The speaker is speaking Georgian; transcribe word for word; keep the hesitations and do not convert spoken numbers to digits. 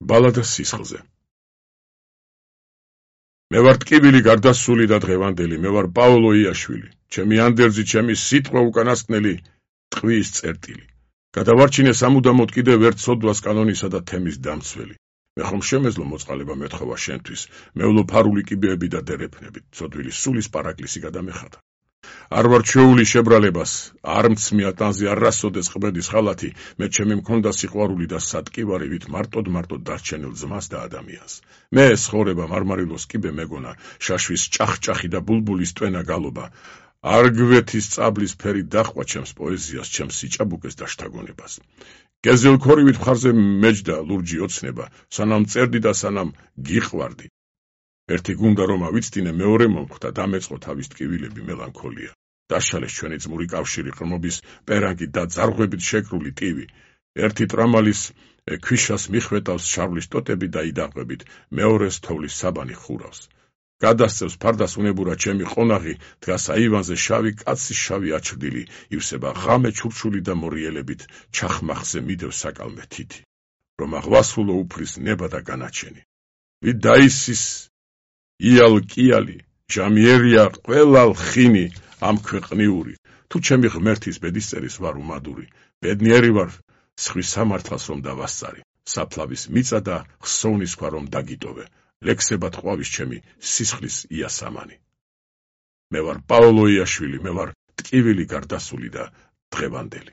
ბალადა სისხლზე. მე ვარ ტკივილი გარდასული და დღევანდელი, მე ვარ პაოლო იაშვილი, ჩემი ანდერძი, ჩემი სიტყვა უკანასკნელი, ტყვის წერტილი. გადავარჩინე სამუდამოდ კიდევ ერთ სოდვას კანონისა და თემის დამცველი. მე ხომ შემეძლო მოწყალება მეთხოვა შენთვის, მევლო ფარული კიბეები და დერეფნებით, ცოდვილი სულის პარაკლისი გადამეხადა. არ ვარ ჩვეული შებრალებას, არ მცმია ტანზე არასოდეს ყბედის ხალათი, მე ჩემი მქონდა სიყვარული და სატკივარი, ვით მარტოდ მარტოდ დარჩენილ ძმას და ადამიანს. მე ცხოვრება მარმარილოს კიბე მეგონა, შაშვის ჭახჭახი და ბულბულის ტვენა გალობა. არ გვეთის წაბლის ფერი დახვა ჩემს პოეზიას, ჩემს სიჭაბუკეს და შთაგონებას. გეზელქორივით მხარზე მეჯდა ლურჯი ოცნება, სანამ წერდი და სანამ გიყვარდი. ერთი გუნდა რომ ავიცდინე, მეორე მომხვდა, დამეწყო თავის ტკივილები მელანქოლია. დაშალეს ჩვენი ძმური კავშირი, ყრმობის პერანგი და ძარღვებით შეკრული ტივი. ერთი ტრამალის ქვიშას მიხვეტავს შავლის ტოტები და იდაყვებით, მეორეს თოვლის საბანი ხურავს. გადასცევს ფარდას უნებურა ჩემი ყონაღი, დგას აივანზე შავი კაცის შავი აჩრდილი, ივსება ღამე ჩურჩული და მორიელებით, ჩახმახზე მიდევს საკალმე თითი. რომ აღვასრულო უფლის ნება და განაჩენი. ვით დაისის იალ კიალი, ჟამიერია ყველა ლხინი ამ ქვეყნიური, თუ ჩემი ღმერთის ბედისწერის ვარ უმადური, ბედნიერი ვარ სხვის სამართლას რომ დავასწარი, საფლავის მიწა და ხსოვნის ქვა რომ დაგიტოვე, ლექსებად ყვავის ჩემი სისხლის იასამანი. მე ვარ პაოლო იაშვილი, მე ვარ ტკივილი გარდასული და დღევანდელი.